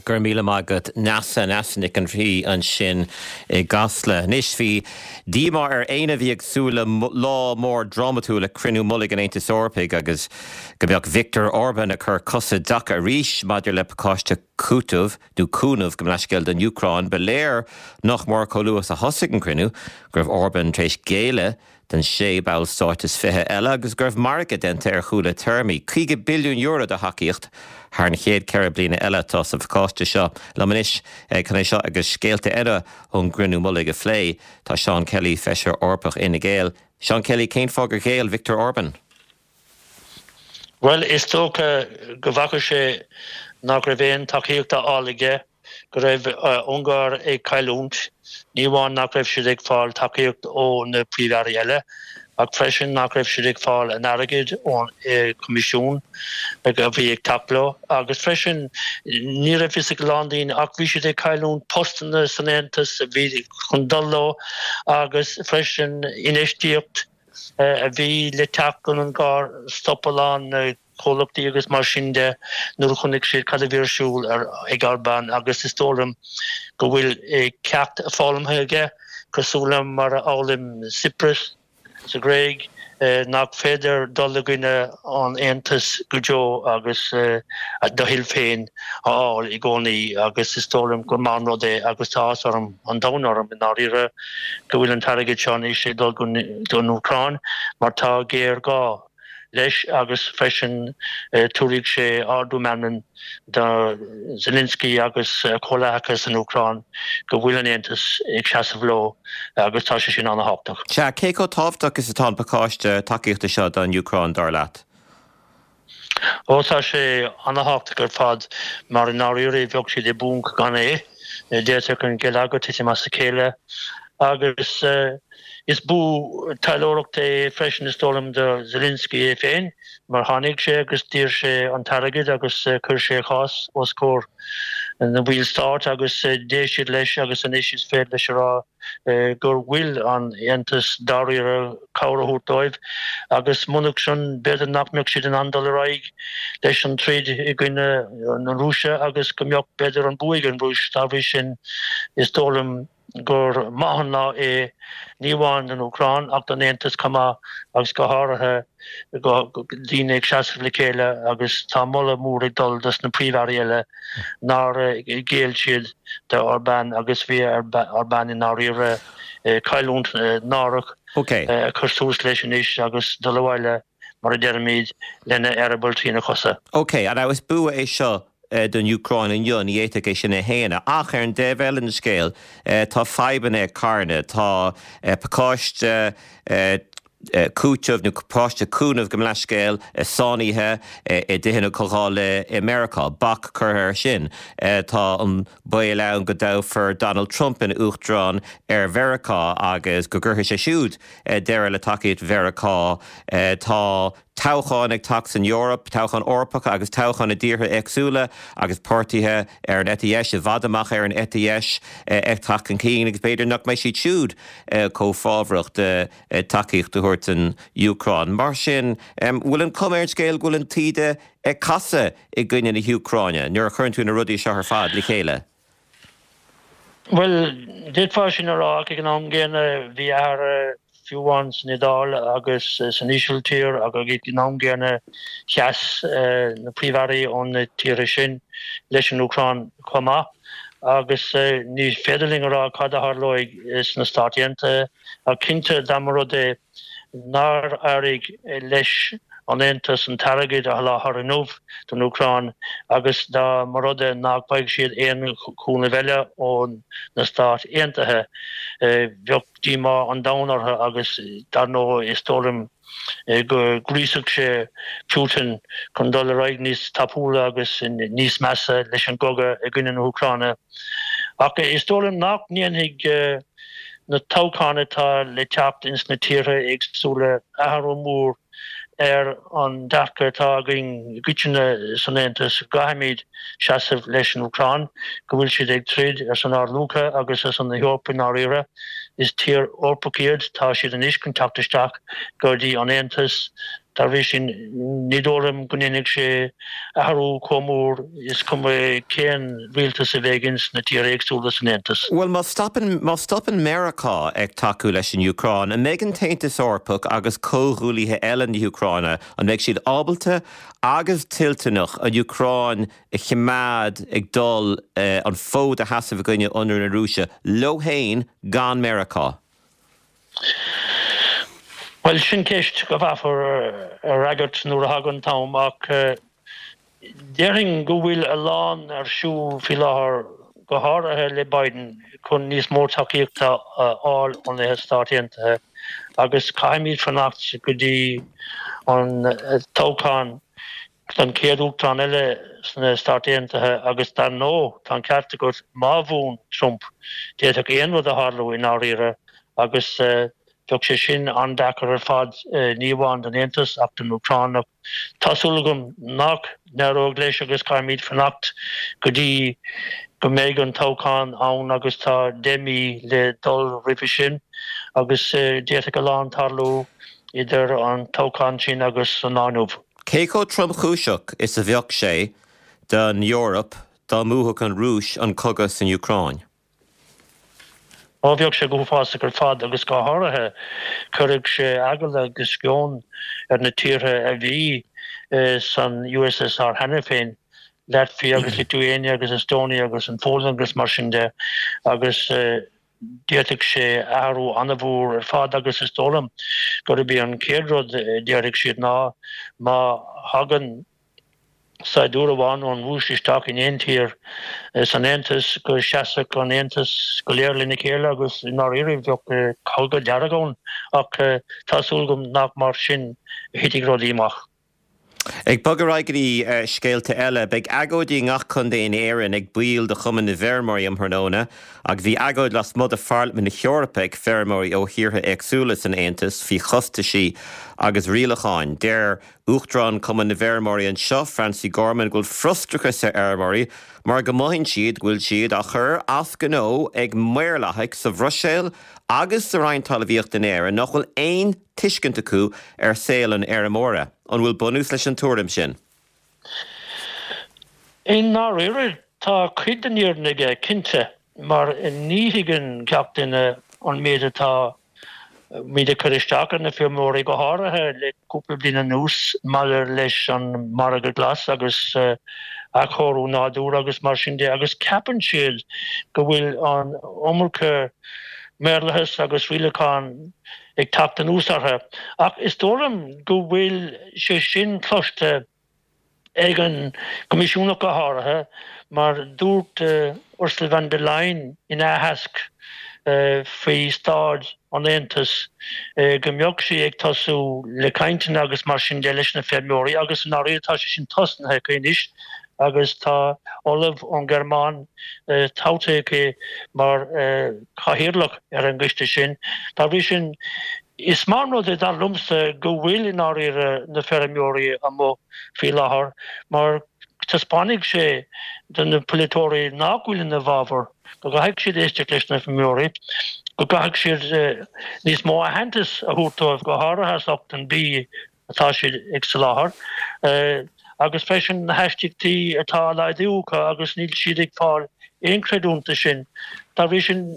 Go raibh míle maith agat Neasa, Neasa Nic an Rí ansin i gCasla. Anois bhí díomá ar éinne a bhí ag súil le lá mór drámatúil ag cruinniú mullaigh an Aontais Eorpaigh agus go mbeadh Viktor Orban ag cur cosa i dtaca arís maidir le pacáiste cúitimh nó cúnaimh gabh mo leithscéal don Úcráin. Ba léir nach mór chomh luath is a thosaigh an cruinniú go raibh Orban tar éis géilleadh don sé bhallstát is 20 eile agus go raibh margadh déanta ar chúla téarmaí. €50 billiún de thacaíocht thar an chéad 4 bliana eile atá sa phacáiste seo. Liom anois chun é seo agus scéalta eile ón gcruinniú mullaigh a phlé, tá Seán Kelly, Feisire Eorpach Fhine Gael. Seán Kelly, cén fáth gur ghéill Viktor Orban? Bhuel, is dócha go bhfaca sé nach raibh aon tacaíocht á fháil aige, go raibh Ungáir ag cailliúint, ní amháin nach raibh siad ag fáil tacaíocht ó na príomh-airí eile, ach freisin nach raibh siad ag fáil an airgid ón Choimisiún a bhí ag teacht leo. Agus freisin, ní raibh fhios ag a lán daoine ach bhí siad ag cailliúint postanna san Aontas a bhí chun dul leo agus freisin infheistíocht. a bhí le teacht don Ungáir, stop a lán comhlachtaí agus mar sin de nuair a chonaic siad cad a bhí ar siúl ag Orbán agus is dóigh liom go bhfuil ceacht foghlamtha aige, cosúil le mar a fhoghlaim Tsipras sa Ghréig, nach féidir dul i gcoinne an Aontais go deo agus do thoil féin a fháil i gcónaí agus is dóigh liom gur maith an rud é agus tá áthas orm, an domhan orm i ndáiríre. go bhfuil an t-airgead seo anois ag dul don Úcráin mar tá géarghá leis agus freisin tabharfaidh sé ardú meanman do Zelensky agus a chomhleacaithe san Úcráin go bhfuil an Aontas ag seasamh leo agus tá sé sin an-thábhachtach. Sea, cé chomh tábhachtach is atá an pacáiste tacaíochta seo don Úcráin, dar leat? Ó tá sé ana-thábhachtach ar fad mar i ndáiríre bheadh siad i bponc gan é. D'fhéadfadh an geilleagar titim as a chéile agus is bua taidhleoireachta é freisin is dóigh liom do Zelensky é féin mar tháinig sé agus d'iarr sé an t-airgead agus chuir sé a chás os comhair na bhaill stáit agus d'éist siad leis agus anois is féidir leis a rá gur bhfuil an Aontas dáiríre cabhair a thabhairt dóibh agus munach sin b'fhéidir nach mbeadh siad in ann dul ar aghaidh leis an troid i gcoinne na Rúise agus go mbeadh b'fhéidir an bua ag an Rúis. Dá bhrí sin is dóigh liom gur maith an lá é ní amháin don Úcráin ach don Aontas chomh maith agus go háirithe go daoine ag seasamh le chéile agus tá moladh mór ag dul dos na príomh-airí eile nár ghéill siad do Orbán agus bhí ar Orbán i ndáiríre cailliúint náireach a chur suas leis anois agus dul abhaile mar a deirimid lena eireaball trína chosa. Ok, an is bua é seo don Úcráin inniu, ní fhéadfaí é sin a shéanadh. Ach ar an dtaobh eile den scéal, tá fadhbanna ag carnadh. Tá pacáiste cúiteamh nó pacáiste cúnaimh gabh mo leithscéal sáinnithe i dTithe na Comhdhála i Meiriceá. Bac curtha air sin. Tá an baol ann go dtoghfar Donald Trump ina uachtarán ar Mheiriceá agus go gcuirfidh sé siúd deireadh le tacaíocht Mheiriceá. Tá toghcháin ag teacht san Eoraip, toghcháin Eorpacha agus toghcháin i dtíortha éagsúla agus páirtithe ar an eite dheis, i bhfad amach ar an eite dheis ag teacht chun cinn agus b'fhéidir nach mbeidh siad siúd chomh fábhrach de tacaíocht a thabhairt don Úcráin. Mar sin, bhfuil an chuma ar an scéal go bhfuil an taoide ag casadh i gcoinne na hÚcráine nuair a chuireann tú na rudaí seo ar fad le chéile? Bhuel, d'fhéadfá sin a rá ach ag an am gcéanna bhí athruithe fiú amháin san Iodáil agus san Ísiltír agus ag an am gcéanna sheas na príomh-airí ó na tíortha sin leis an Úcráin chomh maith agus ní féidir linn a rá cad a tharlóidh sna Stáit Aontaithe. Ach cinnte, dá mba rud é nár éirigh leis an Aontas an t-airgead a sholáthar inniu don Úcráin agus dá mba rud é nach bhfaigheadh siad aon chúnamh eile ó na Stáit Aontaithe, bheadh díomá an domhain orthu agus dar ndóigh is dóigh liom go ngríosfadh sé Putin chun dul ar aghaidh níos tapúla agus níos measa leis an gcogadh i gcoinne na hÚcráine. Ach is dóigh liom nach ndéanfaidh na toghcháin atá le teacht ins na tíortha éagsúla athrú mór ar an dearcadh atá againn i gcoitinne san Aontas go gcaithfimid seasamh leis an Úcráin, go bhfuil siad ag troid ar son ár luacha agus ar son na hEorpa i ndáiríre. Is tír Eorpach iad, tá siad anois chun teacht isteach go dtí an Aontas. Dá bhrí sin, ní dóigh liom go ndéanfaidh sé athrú chomh mór, is cuma cén rialtas a bheidh ins na tíortha éagsúla san Aontas. Bhuel, má stopann, má stopann Meiriceá ag tacú leis an Úcráin, an mbeidh an tAontas Eorpach agus comhghuaillithe eile na hÚcráine, an mbeidh siad ábalta agus toilteanach an Úcráin a choimeád ag dul an fód a sheasamh i gcoinne ionradh na Rúise leo féin gan Meiriceá? Bhuel, sin ceist go bhfaighfear a fhreagairt nuair a thagann an t-am ach déarfainn go bhfuil a lán ar siúl faoi láthair, go háirithe le Biden, chun níos mó tacaíochta a fháil ó na Stáit Aontaithe agus caithfimid fanacht go dtí an toghchán don chéad uachtarán eile sna Stáit Aontaithe agus dar ndóigh, tá an ceart agat, má bhuann Trump, d'fhéadfadh aon rud a tharlú i ndáiríre agus bheadh sé sin an-deacair ar fad, ní amháin don Aontas ach don Úcráin. Ach tá súil agam nach n-éireoidh leis agus caithfimid fanacht go dtí go mbeidh an toghchán ann agus tá 10 mí le dul roimhe sin agus d'fhéadfadh a lán tarlú idir an toghchán sin agus an lá inniu. Cé chomh tromchúiseach is a bheadh sé don Eoraip dá mbuafadh an Rúis an cogadh san Úcráin? Ó bheadh sé go huafásach ar fad agus go háirithe chuirfeadh sé eagal agus sceon ar na tíortha a bhí san USSR cheana féin, Latvia agus Lithuania agus Estonia agus an Pholainn agus mar sin de agus D'fhéadfadh sé athrú an-mhór ar fad agus is dóigh liom gurb é an chéad rud a déarfaidh siad ná má thagann saighdiúir amháin ón Rúis isteach in aon tír san Aontas go seasfadh an Aontas go léir lena chéile agus i ndáiríre bheadh cogadh dearg ann ach tá súil agam nach mar sin a thitfidh rudaí amach. Ag bogadh ar aghaidh go dtí scéalta eile, beidh agóidí i ngach contae in Éirinn ag baill de Chumann na bhFeirmeoirí um thráthnóna agus bhí agóid lasmuigh de Pharlaimint na hEorpa ag feirmeoirí ó thíortha éagsúla san Aontas faoi chostaisí agus rialacháin. Deir Uachtarán Chumann na bhFeirmeoirí anseo, Francie Gorman, go bhfuil frustrachas ar fheirmeoirí mar go mothaíonn siad go bhfuil siad á chur as gnó ag maorlathaigh sa Bhruiséil agus sa Roinn Talmhaíochta in Éirinn nach bhfuil aon tuiscint acu ar saol an fheirmeora. An bhfuil bunús leis an tuairim sin? I ndáiríre, tá cuid den fhírinne aige, cinnte, mar ní thuigeann gach duine an méid atá muid ag cur isteach ar na feirmeoirí, go háirithe le cúpla bliain anuas maidir leis an margadh glas agus athchóiriú nádúir agus mar sin de, agus ceapann siad go bhfuil an iomarca maorlathas agus rialachán ag teacht anuas orthu. Ach is dóigh liom go bhfuil sé sin cloiste ag an gCoimisiún ach go háirithe, mar dúirt Ursula von der Leyen ina aitheasc faoi staid an Aontais go mbeadh sí ag tosú le cainteanna agus mar sin de leis na feirmeoirí agus i ndáiríre tá sé sin tosnaithe aici anois agus tá ollamh ón Ghearmáin toghta aici mar chathaoirleach ar an gcoiste sin. Dá bhrí sin, is maith an rud é, dar liomsa, go bhfuil i ndáiríre na feirmeoirí amuigh faoi láthair mar taispeánfaidh sé do na polaiteoirí nach bhfuil ina bhfabhar, go gcaithfidh siad éisteacht leis na feirmeoirí, go gcaithfidh siad níos mó aitheantais a thabhairt dóibh, go háirithe as ucht an bia atá siad ag soláthar, agus freisin na haistíochtaí atá á laghdú acu agus níl siad ag fáil aon chreidiúint de sin. Dá bhrí sin,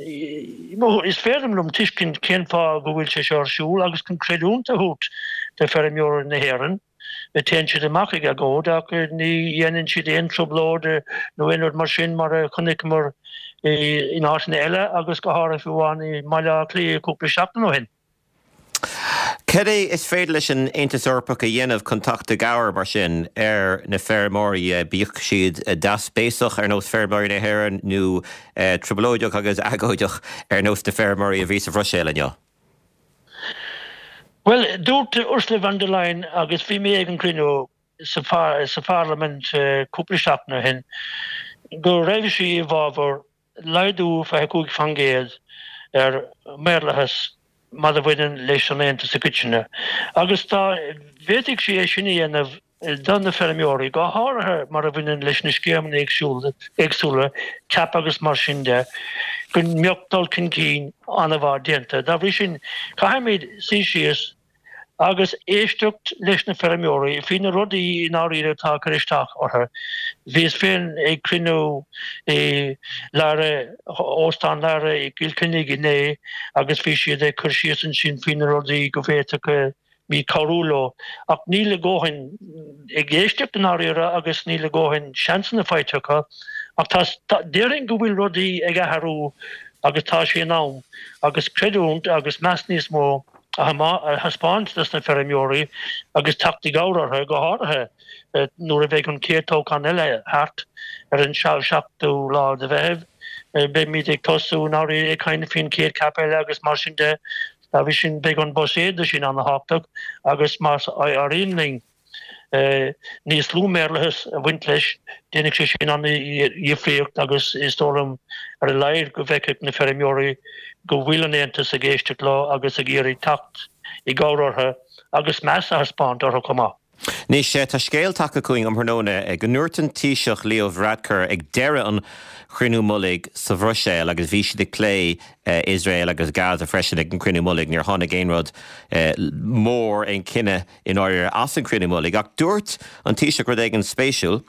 is féidir liom tuiscint cén fáth go bhfuil sé seo ar siúl agus chun creidiúint a thabhairt do feirmeoirí na hÉireann, téann siad amach ag agóid ach ní dhéanann siad aon trioblóid nó aon rud mar sin mar a chonaiceamar in áiteanna eile agus go háirithe fiú amháin i mBaile Átha Cliath cúpla seachtain ó shin. Cad é is féidir leis an Aontas Eorpach a dhéanamh chun teacht i gcabhair, mar sin, ar na feirmeoirí, bíodh siad deasbhéasach ar nós feirmeoirí na hÉireann nó trioblóideach agus agóideach ar nós na feirmeoirí a bhí sa Bhruiséil inniu? Bhuel, dúirt Ursula von der Leyen, agus bhí mé ag an gcruinniú sa Pharlaimint cúpla seachtain ó shin, go raibh sí i bhfabhar laghdú 25% ar mhaorlathas mar a bhaineann leis an Aontas i gcoitinne, agus dá bhféadfadh sí é sin a dhéanamh do na feirmeoirí, go háirithe mar a bhaineann leis na scéimeanna éagsúla, CAP agus mar sin de, go mbeadh dul chun cinn an-mhaith déanta. Dá bhrí sin, caithfimid suí síos. Agus éisteacht leis na feirmeoirí faoi na rudaí i ndáiríre atá ag cur isteach orthu. Bhíos féin ag cruinniú i Lara, Óstán Lara i gCill Chainnigh inné agus bhí siad ag cur síos ansin faoi na rudaí go bhféadfadh muid cabhrú leo. Ach níl a ndóthain ag éisteacht i ndáiríre agus níl a ndóthain seansanna faighte acu. Ach tá, déarfainn go bhfuil rudaí ag athrú agus tá sé in am agus creidiúint agus meas níos mó a thaispeáint dos na feirmeoirí agus teacht i gcabhair orthu, go háirithe nuair a bheidh an chéad toghchán eile thart ar an 7ú lá de Mheitheamh. Beimid ag tosú i ndáiríre ag caint faoin chéad CAP eile agus mar sin de. Dá bhrí sin beidh an buiséad sin an-thábhachtach agus más éiríonn linn níos lú maorlathas a bhaint leis, déanfaidh sé sin an-dhifríocht agus is dóigh liom ar a laghad go bhfeicfidh na feirmeoirí go bhfuil an Aontas ag éisteacht leo agus ag iarraidh teacht i gcabhair orthu agus meas a thaispeáint orthu chomh maith. Anois, tá scéal tagtha chugainn um thráthnóna go ndúirt an Taoiseach Leo Varadkar ag deireadh an chruinniú mullaigh sa Bhruiséil agus bhí siad ag plé Iosrael agus Gaza freisin ag an gcruinniú mullaigh, níor tháinig aon rud mór, aon chinneadh i ndáiríre as an chruinniú mullaigh. Ach dúirt an Taoiseach rud éigin spéisiúil.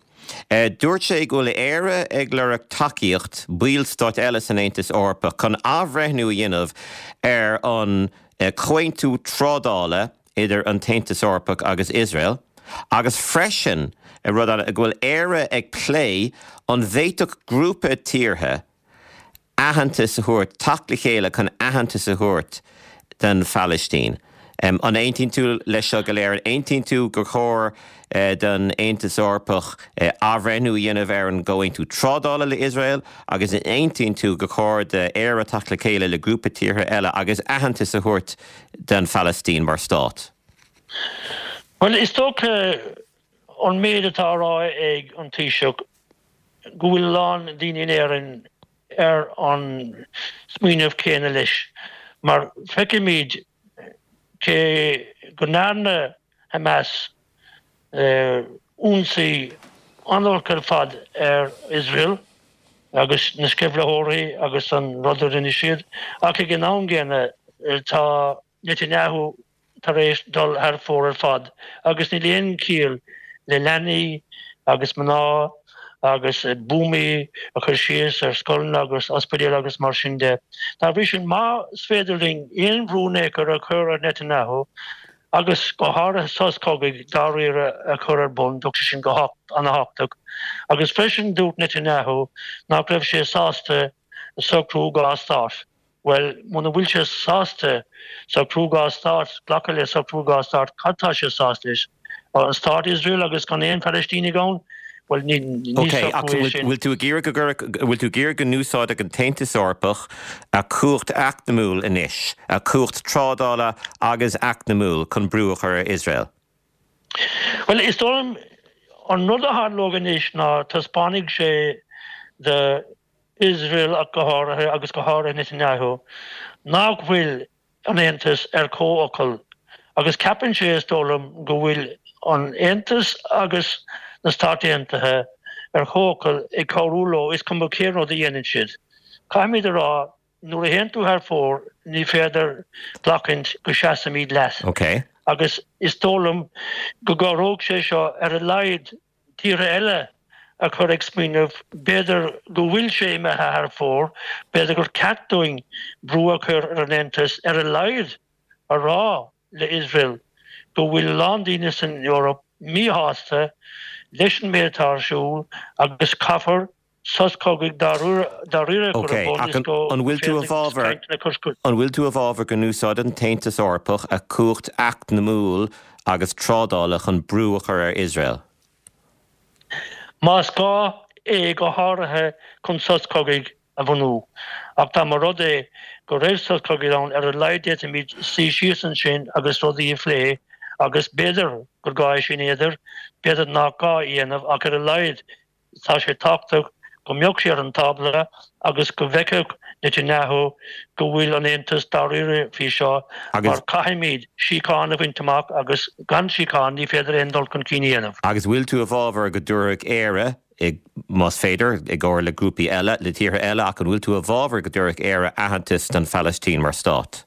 Dúirt sé go bhfuil Éire ag lorg tacaíocht ballstáit eile san Aontas Eorpach chun athbhreithniú a dhéanamh ar an comhaontú trádála idir an tAontas Eorpach agus Iosrael agus freisin rud eile go bhfuil Éire ag plé an bhféadfadh grúpa tíortha aitheantas a thabhairt, teacht le chéile chun aitheantas a thabhairt don Phalaistín. An aontaíonn tú leis seo go léir? An aontaíonn tú gur chóir don Aontas Eorpach athbhreithniú a dhéanamh ar an gcomhaontú trádála le Iosrael agus an aontaíonn tú gur chóir d'Éire teacht le chéile le grúpa tíortha eile agus aitheantas a thabhairt don Phalaistín mar stát? Bhuel, is dócha an méid atá á rá ag an Taoiseach go bhfuil a lán daoine in Éirinn ar an smaoineamh céanna leis, mar feicimid cé go ndearna Hamas ionsaí an-olc ar fad ar Iosrael agus na sceimhlitheoirí agus an rud a rinne siad, ach ag an am gcéanna tá Netanyahu tar éis dul thar fóir ar fad agus níl aon chiall le leanaí agus mná agus buamaí a chur síos ar scoileanna agus ospidéil agus mar sin de. Dá bhrí sin, más féidir linn aon bhrú in aon chor a chur ar Netanyahu agus go háirithe sos cogaidh dáiríre a chur ar bun, bheadh sé sin go han-thábhachtach. Agus freisin dúirt Netanyahu nach raibh sé sásta socrú dhá stát. Bhuel, muna bhfuil sé sásta socrú dhá stát, glacadh le socrú dhá stát, cad tá sé sásta leis? An stát Iosrael agus gan aon Phalaistínigh ann? Bhuel, ní Ok, ach socrú é sin. bhfuil tú ag iarraidh go gcuirfeadh, bhfuil tú ag iarraidh go n-úsáidfeadh an tAontas Eorpach a chumhacht eacnamúil anois, a chumhacht trádála agus eacnamúil chun brú a chur ar Iosrael? Bhuel, is dóigh liom an rud a tharlóidh anois ná taispeánfaidh sé do Iosrael ach go háirithe, agus go háirithe Netanyahu, nach bhfuil an Aontas ar comhfhocal agus ceapann sé, is dóigh liom, go bhfuil an Aontas agus na Stáit Aontaithe ar chomhfhocal ag cabhrú leo, is cuma cén rud a dhéanann siad. Caithfimid a rá, nuair a théann tú thar fóir, ní féidir glacaint go seasaimid leat. Agus is dóigh liom go gcabhródh sé seo ar a laghad tíortha eile a chur ag smaoineamh, b'fhéidir go bhfuil sé imithe thar fóir, b'fhéidir gur ceart dúinn brú a chur ar an Aontas ar a laghad a rá le Iosrael go bhfuil a lán daoine san Eoraip míshásta leis an méid atá ar siúl agus caithfear sos cogaidh dáiríre a chur ar bun is go An bhfuil tú i bhfabhar An bhfuil tú i bhfabhar go n-úsáideann an tAontas Eorpach a chumhacht eacnamúil agus trádála chun brú a chur ar Iosrael? Más gá é, go háirithe chun sos cogaidh a bhunú. Ach dá mba rud é go raibh sos cogaidh ann, ar a laghad d'fhéadfaimid suí síos ansin agus rudaí a phlé agus b'fhéidir gur gá é sin a dhéanamh, b'fhéidir nach gá é a dhéanamh ach ar a laghad Tá sé tábhachtach go mbeadh sé ar an tábla agus go bhfeicfeadh Netanyahu go bhfuil an Aontas dáiríre faoi seo mar caithfimid síocháin a bhaint amach agus gan síocháin ní féidir aon dul chun cinn a dhéanamh. Agus bhfuil tú i bhfabhar go dtabharfadh Éire, más féidir, i gcomhar le grúpaí eile, le tíortha eile, ach an bhfuil tú i bhfabhar go dtabharfadh Éire aitheantas don Phalaistín mar stát?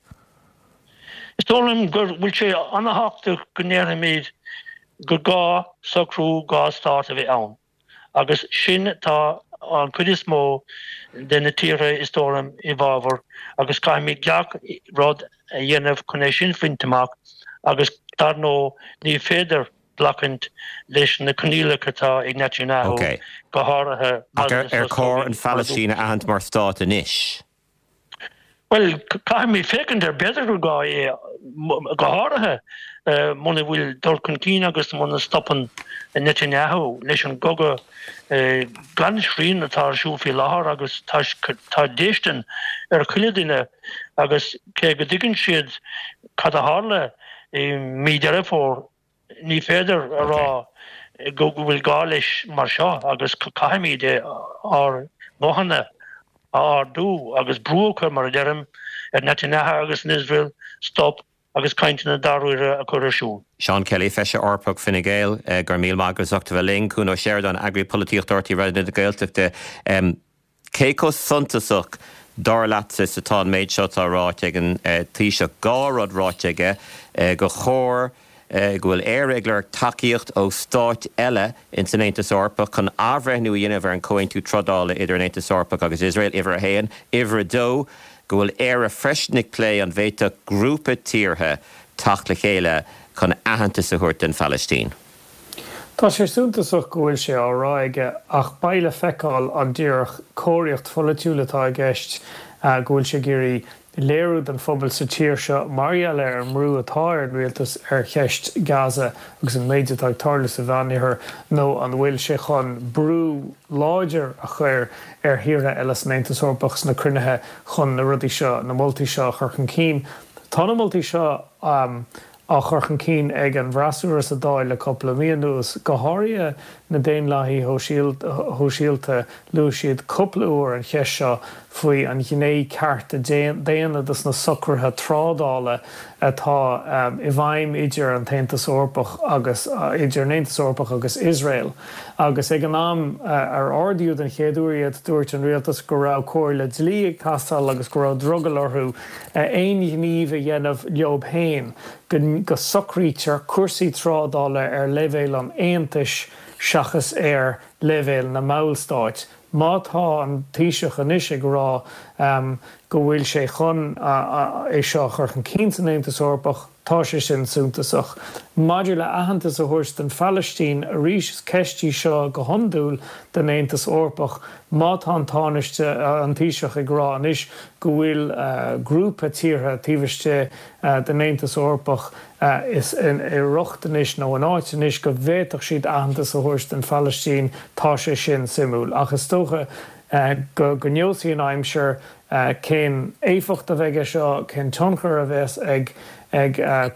Is dóigh liom go bhfuil sé an-thábhachtach go ndéarfaimid gur gá socrú 2 stát a bheith ann agus sin tá an chuid is mó de na tíortha is dóigh liom i bhfabhar agus caithfimid gach rud a dhéanamh chun é sin a bhaint amach agus dar ndóigh ní féidir glacaint leis na coinníollacha atá ag Netanyahu go háirithe Ach ar chóir an Phalaistín a aithint mar stát anois? Bhuel, caithfimid féachaint air, b'fhéidir gur gá é, go háirithe muna bhfuil dul chun cinn agus muna stopann Netanyahu leis an gcogadh gan srian atá ar siúl faoi láthair agus tá déistin ar chuile duine agus cé go dtuigeann siad cad a tharla i mí Deireadh Fómhair, Ní féidir a rá go bhfuil gá leis mar seo agus caithfimid ár nguthanna a ardú agus brú a chur, mar a deirim, ar Netanyahu agus an Iosrael stop agus cainteanna dáiríre a chur ar siúl. Seán Kelly, Feisire Eorpach Fine Gael, go raibh míle maith agat as ucht a bheith linn. Cuan Ó Seireadáin, Eagraí Polaitíochta RTÉ Raidió na Gaeltachta. Cé chomh suntasach, dar leatsa, is atá an méid seo atá ráite ag an Taoiseach? 2 rud ráite aige, gur chóir, go bhfuil Éire ag lorg tacaíocht ó stáit eile ins an Aontas Eorpach chun athbhreithniú a dhéanamh ar an chomhaontú trádála idir an Aontas Eorpach agus Iosrael, uimhir a haon. Uimhir a dó, go bhfuil Éire freisin ag plé an bhféadfadh grúpa tíortha teacht le chéile chun aitheantas a thabhairt don Phalaistín. Tá sé suntasach go bhfuil sé á rá aige ach beidh le feiceáil an díreach cóiríocht pholaitiúil atá i gceist, go bhfuil sé ag iarraidh léiriú don phobal sa tír seo mar gheall ar an mbrú atá ar an rialtas ar cheist Gaza agus an méid atá ag tarlú sa Mheánoirthear nó an bhfuil sé chun brú láidir a chur ar thíortha eile san Aontas Eorpach sna cruinnithe chun na rudaí seo, na moltaí seo a chur chun cinn. Tá na moltaí seo. á chur chun cinn ag an bhfreasúra sa Dáil le cúpla mí anuas, go háirithe na Daonlathaithe Shóisialta. Luaigh siad cúpla uair an cheist seo faoi an ghné cearta daonna dos na socruithe trádála atá i bhfeidhm idir an tAontas Eorpach agus idir an Aontas Eorpach agus Iosrael. Agus ag an am ar ardaíodh den chéad uair iad, dúirt an rialtas go raibh comhairle dlí ag teastáil agus go raibh drogall orthu aon ghníomh a dhéanamh leob féin, go socraítear cúrsaí trádála ar leibhéal an Aontais seachas ar leibhéal na mballstáit. Má tá an Taoiseach anois ag rá go bhfuil sé chun é seo a chur chun cinn san Aontas Eorpach, tá sé sin suntasach. Maidir le aitheantas a thabhairt don Phalaistín, arís is ceist í seo go hiondúil don Aontas Eorpach. Má tá an Tánaiste, an Taoiseach ag rá anois go bhfuil grúpa tíortha taobh istigh den Aontas Eorpach i riocht anois nó in áit anois go bhféadfadh siad aitheantas a thabhairt don Phalaistín, tá sé sin suimiúil. Ach is dócha go neosfaidh an aimsir cén éifeacht a bheidh aige seo, cén tionchar a bheas ag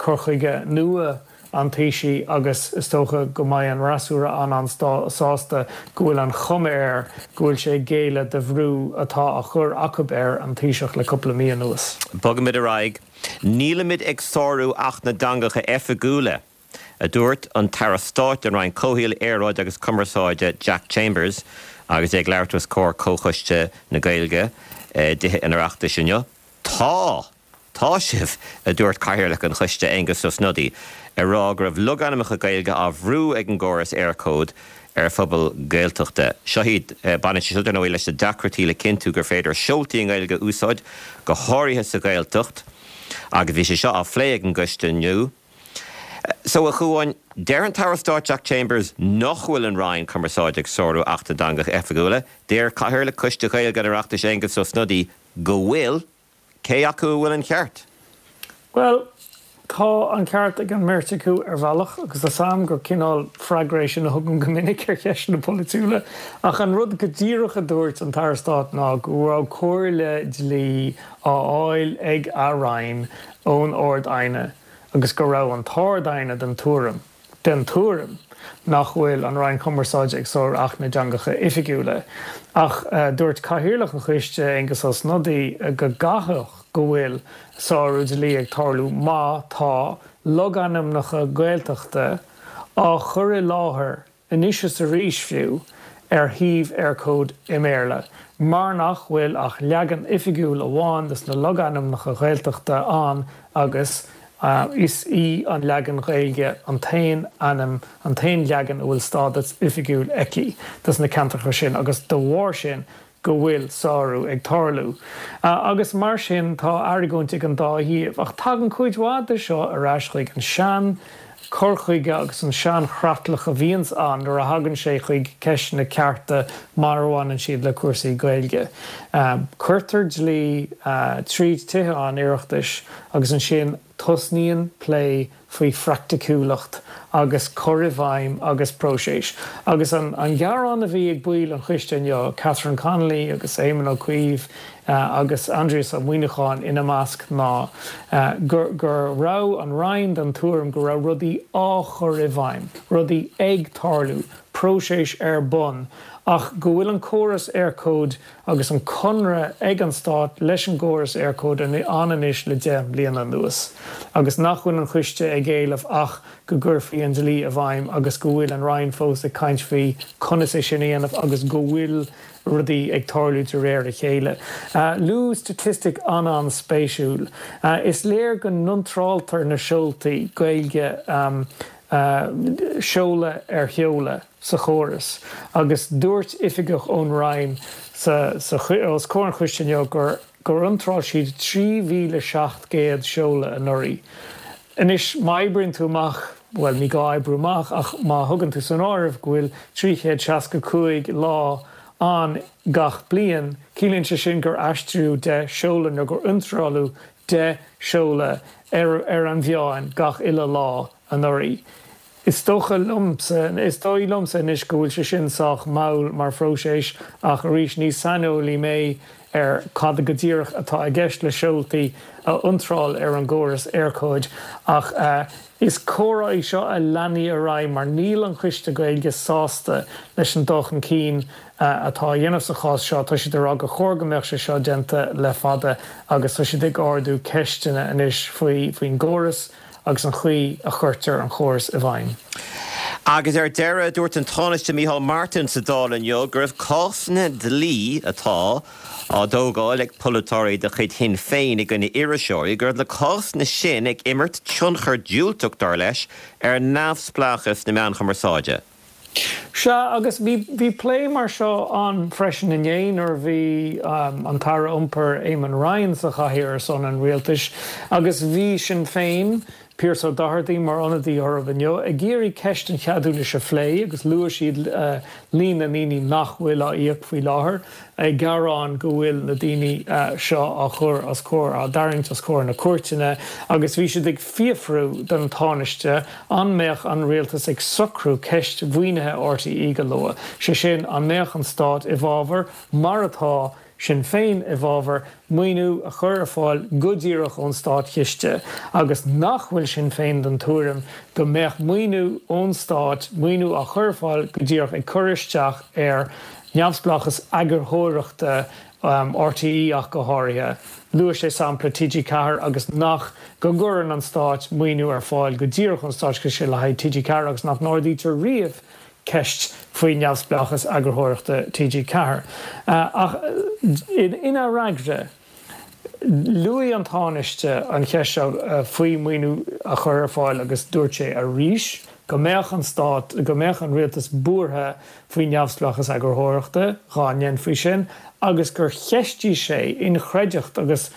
cur chuige nua an Taoisigh agus is dócha go mbeidh an fhreasúra an-an-sásta go bhfuil an chuma air go bhfuil sé ag géilleadh do bhrú atá á chur acub air an Taoiseach le cúpla mí anuas. Bogaimid ar aghaidh. Nílimid ag sárú Acht na dTeangacha Oifigiúla, a dúirt an tAire Stáit don Roinn Comhshaoil, Aeráide agus Cumarsáide Jack Chambers agus é ag labhairt os comhair Comhchoiste na Gaeilge i dTithe an Oireachtais inniu. Tá! Tá sibh, a dúirt Cathaoirleach an choiste, Aengus Ó Snodaigh, ag rá go raibh logainmneacha Gaeilge á bhrú ag an gcóras Eircode ar phobail Ghaeltachta. Seo iad. Baineann sé seo, dar ndóigh, leis na deacrachtaí le cinntiú gur féidir seoltaí i nGaeilge a úsáid, go háirithe sa Ghaeltacht, agus bhí sé seo á phlé ag an gcoiste inniu. So, a Chuáin, deir an tAire Stáit Jack Chambers nach bhfuil an Roinn Cumarsáide ag sárú Acht na dTeangacha Oifigiúla. Deir Cathaoirleach Choiste Gaeilge an Oireachtais, Aengus Ó Snodaigh, go bhfuil. Cé acu a bhfuil an ceart? Bhuel, tá an ceart ag an mbeirt acu ar bhealach, agus tá 's a'm gur cineál freagra é sin a thugaim go minic ar cheisteanna polaitiúla, ach an rud go díreach a dúirt an tAire Stáit ná go raibh comhairle dlí á fháil ag a Roinn ón Ard-Aighne agus go raibh an tArd-Aighne den tuairim, den tuairim nach bhfuil an Roinn Cumarsáide ag sárú Acht na dTeangacha Oifigiúla. Ach dúirt Cathaoirleach an choiste, Aengus Ó Snodaigh, go gcaithfeadh go bhfuil sárú dlí ag tarlú má tá logainmneacha Gaeltachta á chur i láthair anois is arís fiú, ar shuíomh Eircode i mBéarla, mar nach bhfuil ach leagan oifigiúil amháin des na logainmneacha Ghaeltachta ann agus. Is í an leagan Ghaeilge an t-aon ainm, an t-aon leagan a bhfuil stádas oifigiúil aici dos na ceantracha sin agus de bharr sin go bhfuil sárú ag tarlú. Agus mar sin tá argóint ag an dá thaobh. Ach tagann cuid mhaith de seo ar ais chuig an sean cur chuige agus an sean chreatlach a bhíonns ann nuair a thagann sé chuig ceisteanna cearta mar a bhaineann siad le cúrsaí Gaeilge. Cuirtear dlí tríd Tithe an Oireachtais agus ansin tosnaíonn plé faoi phraiticiúlacht agus cur i bhfeidhm agus próiseas. Agus an gearán a bhí ag baill an choiste inniu, Catherine Connolly agus Éamon Ó Cuív agus Aindrias Ó Muimhneacháin ina measc, ná go raibh an Roinn den tuairim go raibh rudaí á chur i bhfeidhm, rudaí ag tarlú, próiseas ar bun, ach go bhfuil an córas Eircode agus an conradh ag an Stát leis an gcóras Eircode ann anois le 10 mbliana anuas agus nach bhfuil an Coiste ag éileamh ach go gcuirfí an dlí i bhfeidhm agus go bhfuil an Roinn fós ag caint faoi conas é sin a dhéanamh agus go bhfuil rudaí ag tarlú de réir a chéile. Luadh staitistic an-an-spéisiúil. Is léir go n-iontráltar na seoltaí Gaeilge seoladh ar sheoladh. sa chóras agus dúirt oifigeach ón Roinn sa os comhair an choiste inniu gur gur iontráil siad 3,700 seoladh anuraidh. Anois má oibríonn tú amach, bhuel ní gá oibriú amach ach má thugann tú san áireamh go bhfuil 365 lá ann gach bliain, ciallaíonn sé sin gur aistríodh 10 seoladh nó gur iontráladh 10 seoladh ar ar an mheán gach uile lá anuraidh. Is dócha liomsa, is dóigh liomsa anois go bhfuil sé sin sách mall mar phróiseas ach arís ní saineolaí mé ar cad go díreach atá i gceist le seoltaí a iontráil ar an gcóras Eircode ach is comhrá í seo a leanfaidh ar aghaidh mar níl an Coiste Gaeilge sásta leis an dul chun cinn atá á dhéanamh sa chás seo. Tá siad ag rá gur chóir go mbeadh sé seo déanta le fada agus tá siad ag ardú ceisteanna anois faoi faoin gcóras. agus an chaoi a chuirtear an chóras i bhfeidhm. Agus ar deireadh, dúirt an Tánaiste Micheál Martin sa Dáil inniu go raibh cásanna dlí atá á dtógáil ag polaiteoirí de chuid Shinn Féin i gcoinne iriseoirí, go raibh na cásanna sin ag imirt tionchar diúltach, dar leis, ar neamhspleáchas na meán cumarsáide. Sea, agus bhí, bhí plé mar seo ann freisin inné nuair a bhí an tAire Iompair Eamon Ryan sa chathaoir ar son an rialtais agus bhí Sinn Féin, Pearse O'Doherty mar ionadaí orthu inniu, ag iarraidh ceist an cheadúnais a phlé agus luaigh siad líon na ndaoine nach bhfuil á íoc faoi láthair. ag gearán go bhfuil na daoine seo á chur os comhair, á dtarraingt os comhair na cúirteanna agus bhí siad ag fiafrú den Tánaiste an mbeadh an rialtas ag socrú ceist mhaoinithe RTÉ go luath, sé sin, an mbeadh an stát i bhfabhar, mar atá Sinn Féin i bhfabhar, maoiniú a chur ar fáil go díreach ón státchiste agus nach bhfuil Sinn Féin den tuairim go mbeadh maoiniú ón stát, maoiniú á chur ar fáil go díreach ag cur isteach ar neamhspleáchas eagarthóireachta RTÉ ach go háirithe. Luaigh sé sampla TG4 agus nach go gcuireann an Stát maoiniú ar fáil go díreach ón Státchiste le haghaidh TG4 agus nach n-ardaítear riamh ceist faoi neamhspleáchas eagarthóireachta TG4. Ach ina fhreagra, Luaigh an Tánaiste an cheist seo faoi mhaoiniú a chur ar fáil agus dúirt sé arís go mbeadh an stát, go mbeadh an rialtas buartha faoi neamhspleáchas eagarthóireachta dhá ndéanfaí sin agus gur cheistigh sé inchreidteacht agus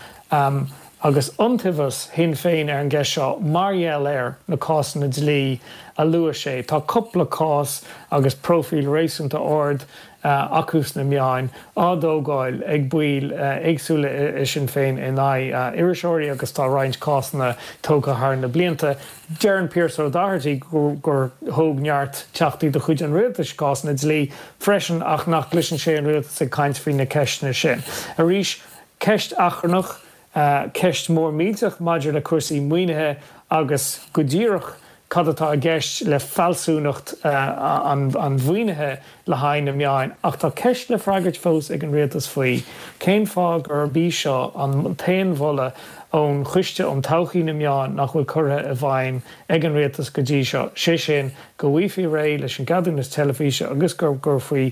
agus iontaobhas Shinn Féin ar an gceist seo mar gheall ar na cásanna dlí a luaigh sé. Tá cúpla cás agus próifíl réasúnta ard acu sna meáin, á dtógáil ag baill éagsúla i Sinn Féin in aghaidh iriseoirí agus tá roinnt cásanna tógtha thar na blianta. Deireann Pearse O'Doherty gur thóg neart teachtaí de chuid an rialtais cásanna dlí freisin ach nach gcloiseann sé an rialtas ag caint faoi na ceisteanna sin. Arís, ceist achrannach, ceist mhór millteach maidir le cúrsaí maoinithe agus go díreach cad atá i gceist le fealsúnacht an mhaoinithe le haghaidh na meáin ach tá ceist le freagairt fós ag an rialtas faoi cén fáth gurb í seo an t-aon mholadh ón Choiste um Todhchaí na Meán nach bhfuil curtha i bhfeidhm ag an rialtas go dtí seo, sé sin go bhfaighfí réidh leis an gceadúnas teilifíse agus go gcuirfí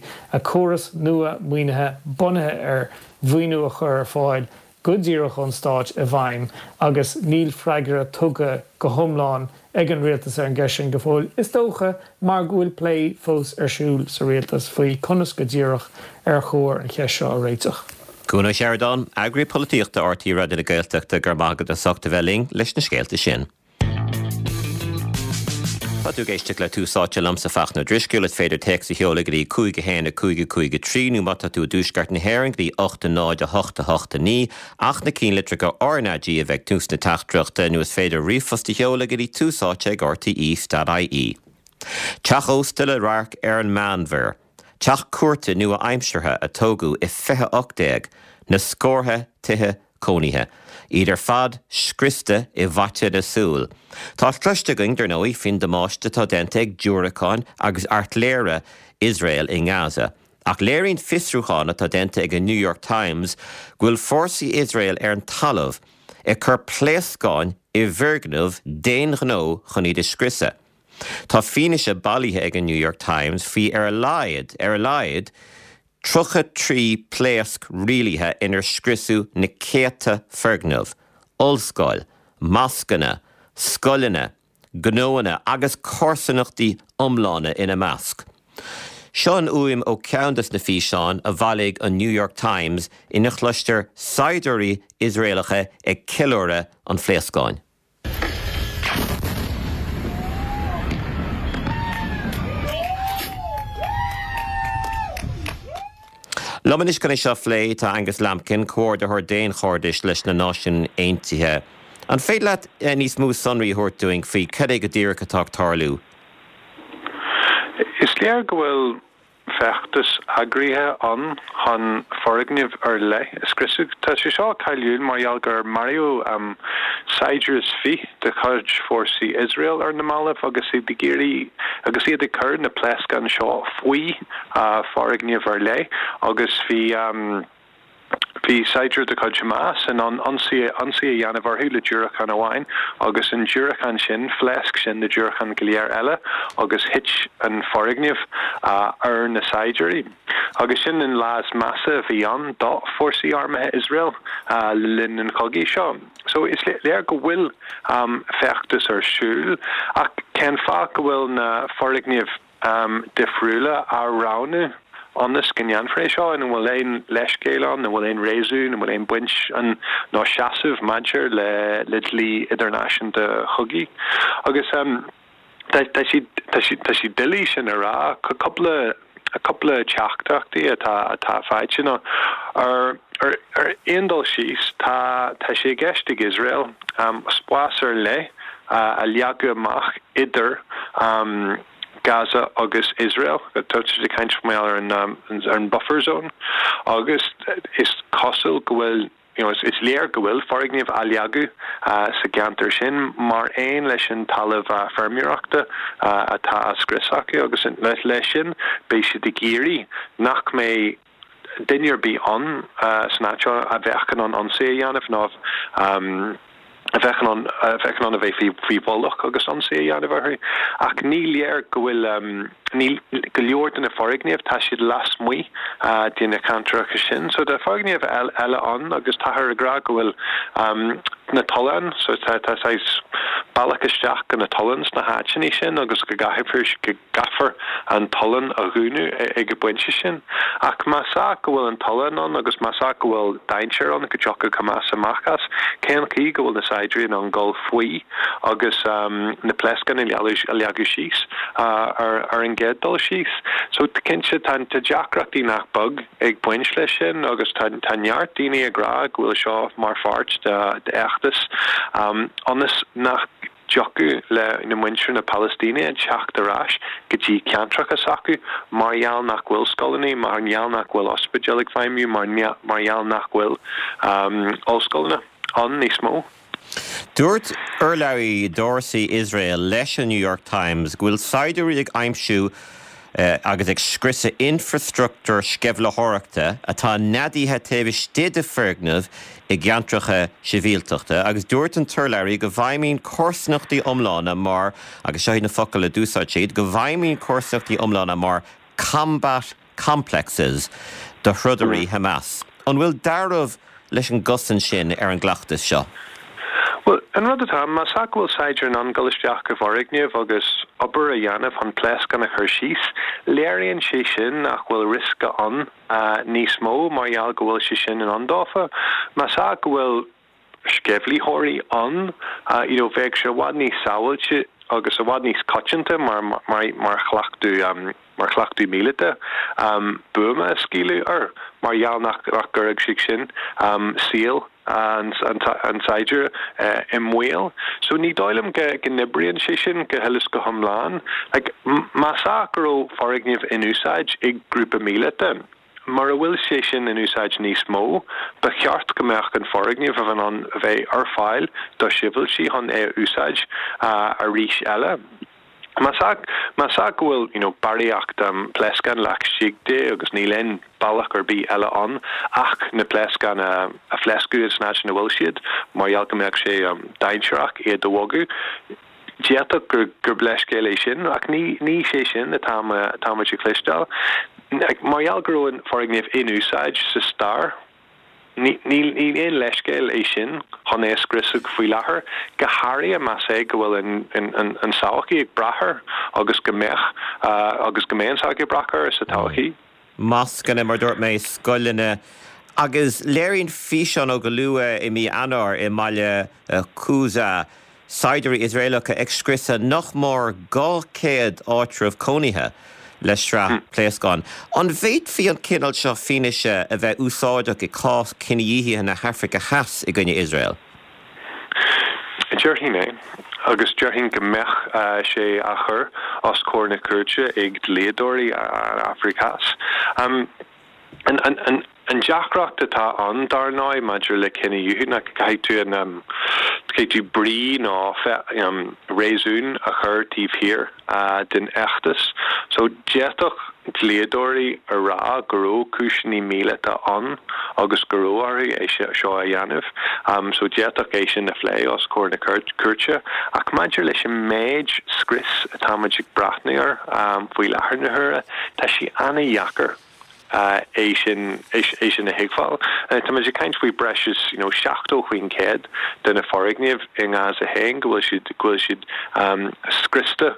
córas nua maoinithe bunaithe ar mhaoiniú a chur ar fáil. go díreach ón Stát i bhfeidhm agus níl freagra tugtha go hiomlán ag an rialtas ar an gceist sin go fóill, is dócha mar go bhfuil plé fós ar siúl sa rialtas faoi conas go díreach ar chóir an cheist seo a réiteach. Cuan Ó Seireadáin, Eagraí Polaitíochta RTÉ Raidió na Gaeltachta, go raibh maith agat as ucht a bheith linn leis na scéalta sin. Tá tú ag éisteacht le Tús Áite liomsa Fachtna Ó Drisceoil. Is féidir téacs a sheoladh go dtí 5 1 5 5 3 nó má tá tú i dtuaisceart na hÉireann go dtí 8 0 8 8 9 ach na cinnlitreacha RnaG a bheith ag tús na teachtaireachta nó is féidir ríomhphost a sheoladh go dtí tús áite ag rte.ie. Teach ósta le radharc ar an Meánmhuir. Teach cúirte nua-aimseartha a tógadh i 2018, na scórtha tithe cónaithe, iad ar fad scriosta i bhfaiteadh na súl. Tá cloiste againn, dar ndóigh, faoin damáiste atá déanta ag diúracáin agus airtléire Iosrael i nGaza. Ach léiríonn fiosrúchán atá déanta ag an New York Times go bhfuil fórsaí Iosrael ar an talamh ag cur pléascáin i bhfoirgnimh d'aon ghnó chun iad a scriosadh. Tá fianaise bailithe ag an New York Times faoi ar a laghad, ar a laghad, 33 pléasc rialaithe inar scriosadh na céadta foirgneamh, ollscoil, moscanna, scoileanna, gnóanna agus comharsanachtaí iomlána ina measc. Seo an fhuaim ó cheann des na físeáin a bhailigh an New York Times ina chloistear saighdiúirí Iosraelacha ag ceiliúradh an phléascáin. Liom anois chun é seo a phlé tá Angus Lambkin, Comhordaitheoir Daonchairdis leis na Náisiúin Aontaithe. An féidir leat níos mó sonraí a thabhairt dúinn faoi cad é go díreach atá ag tarlú? Is léir go bhfuil feachtas eagraithe ann chun foirgnimh ar leith a scriosadh. Tá sé seo cáiliúil mar gheall gur maraíodh saighdiúir is fiche de chuid fórsaí Iosrael ar na mallaibh agus iad ag iarraidh agus iad ag cur na pléascáin seo faoi foirgnimh ar leith agus bhí Bhí saighdiúir de chuid Hamas in ann ionsaí a dhéanamh orthu le diúracán amháin agus an diúracán sin, phléasc sin na diúracáin go léir eile agus thit an foirgneamh ar na saighdiúirí. Agus sin an lá is measa a bhí ann do fórsaí armtha Iosrael le linn an chogaidh seo. So is léir go bhfuil feachtas ar siúl ach cén fáth go bhfuil na foirgnimh difriúla á roghnú ionas go ndéanfar é seo? An bhfuil aon leithscéal ann? An bhfuil aon réasún? An bhfuil aon baint ann nó seasamh maidir le le dlí idirnáisiúnta chogaidh? Agus tá tá sé tá sé tá sé doiligh sin a rá. Cúpla cúpla teachtaireachtaí atá atá faighte ná ar ar ar aon dul síos tá tá sé i gceist ag Iosrael spás ar leith a leagadh amach idir Gaza agus Iosrael. Tá siad ag caint mar gheall ar an ar an buffer zone agus is cosúil go bhfuil you know is léir go bhfuil foirgnimh á leagadh sa gceantar sin mar aon leis an talamh feirmeoireachta atá á scrios acu agus leis sin beidh siad ag iarraidh nach mbeidh duine ar bith ann san áit seo a bheadh in ann ionsaí a dhéanamh nó a bheadh in ann a bheadh in ann a bheith faoi faoi mhullach agus ionsaí a dhéanamh orthu. Ach ní léir go bhfuil níl go leor de na foirgnimh, tá siad lasmuigh de na ceantracha sin. So tá foirgnimh eile ann agus táthar ag rá go bhfuil na tolláin, so tá tá saghas bealach isteach go na tolláin sna háiteanna sin agus go gcaithfear go gcaithfear an tollán a dhúnadh ag an bpointe sin. Ach más ea go bhfuil an tollán ann agus más ea go bhfuil dainséar ann go dtiocfadh Hamas amach as, cén chaoi go bhfuil na saighdiúirí in ann dul faoi agus na pléascáin a leagadh síos ar an gcéad dul síos? So cinnte tá deacrachtaí nach beag ag baint leis sin agus tá neart daoine ag rá go bhfuil seo mar pháirt d'fheachtas ionas nach dtiocfadh le muintir na Palaistíne teacht ar ais go dtí ceantracha s'acu mar gheall nach bhfuil scoileanna, mar gheall nach bhfuil ospidéil ag feidhmiú, mar gheall nach bhfuil ollscoileanna ann níos mó. Dúirt urlabhraí d'fhórsaí Iosrael leis an New York Times go bhfuil saighdiúirí ag aimsiú agus ag scriosadh infreastruchtúr sceimhlitheoireachta atá neadaithe taobh istigh de foirgnimh i gceantracha sibhialtachta agus dúirt an t-urlabhraí go bhfeidhmíonn comharsanachtaí iomlána mar, agus seo iad na focail a d'úsáid siad, go bhfeidhmíonn comharsanachtaí iomlána mar combat complexes do throdairí Hamas. An bhfuil dealramh. leis an gcosaint sin ar an gcleachtas seo? Bhuel, an rud atá ann, más ea go bhfuil saighdiúir in ann dul isteach i bhfoirgneamh agus obair a dhéanamh chun pléascán a chur síos, léiríonn sé sin nach bhfuil riosca ann níos mó mar gheall go bhfuil sé sin in ann dófa. Más ea go bhfuil sceimhlitheoirí ann, you know, bheadh sé i bhfad níos sábháilte agus i bhfad níos coitianta mar, mar, mar chleachtadh, mar chleachtadh míleata, buama a scaoileadh air mar gheall nach gcuirfeadh sé sin saol an tsaighdiúra i mbaol. So ní dóigh liom go n-oibríonn sé sin go huile is go hiomlán. Like, más ea go raibh foirgneamh in úsáid ag grúpa míleata, mura bhfuil sé sin in úsáid níos mó, ba cheart go mbeadh an foirgneamh a bheith in ann a bheith ar fáil do shibhialtaigh chun é a úsáid arís eile. Más ea, más ea go bhfuil, you know, barraíocht pléascán laistigh de agus níl aon bealach ar bith eile ann ach na pléascáin a a phléascadh san áit ina bhfuil siad, mar gheall go mbeadh sé dainséarach iad a bhogadh, d'fhéadfadh gur gur leithscéal é sin, ach ní ní sé sin atá atá muid ag cloisteáil. Mar gheall go raibh an foirgneamh in úsáid sa stair, Ní aon leithscéal é sin chun é a scriosadh faoi láthair, go háirithe más é go bhfuil an tsochaí ag brath air agus go mbeadh agus go mbeidh an tsochaí ag brath air sa todhchaí. Moscanna, mar a dúirt mé, scoileanna agus léiríonn físeán ó go luath i mí Eanáir i mbaile Khuzaa Saighdiúirí Iosraelacha ag scriosadh nach mór 200 áitreabh cónaithe le sraith pléascán. An bhféadfaí an cineál seo fianaise a bheith úsáideach i cás cinedhíothaithe na hAfraice Theas i gcoinne Iosrael? Déarfainn é, agus déarfainn go mbeadh sé á chur os comhair na cúirte ag dlíodóirí an Afraic Theas. An deacracht atá ann, dar ndóigh, maidir le cinedhíothú ná go gcaithfidh tú an, caithfidh tú brí nó réasún a chur taobh thiar den fheachtas. So, d'fhéadfadh dlíodóirí a rá go raibh cúiseanna míleata ann agus go raibh orthu é seo a dhéanamh. So, d'fhéadfadh é sin a phlé os comhair na cúirte. Ach maidir leis an méid scrios atáimid ag breathnú air faoi láthair na huaire, tá sé an-dheacair. é sin, é sin a thuigbheáil. Tá muid ag caint faoi breis is you know 70% de na foirgnimh i nGaza féin go bhfuil siad, go bhfuil siad scriosta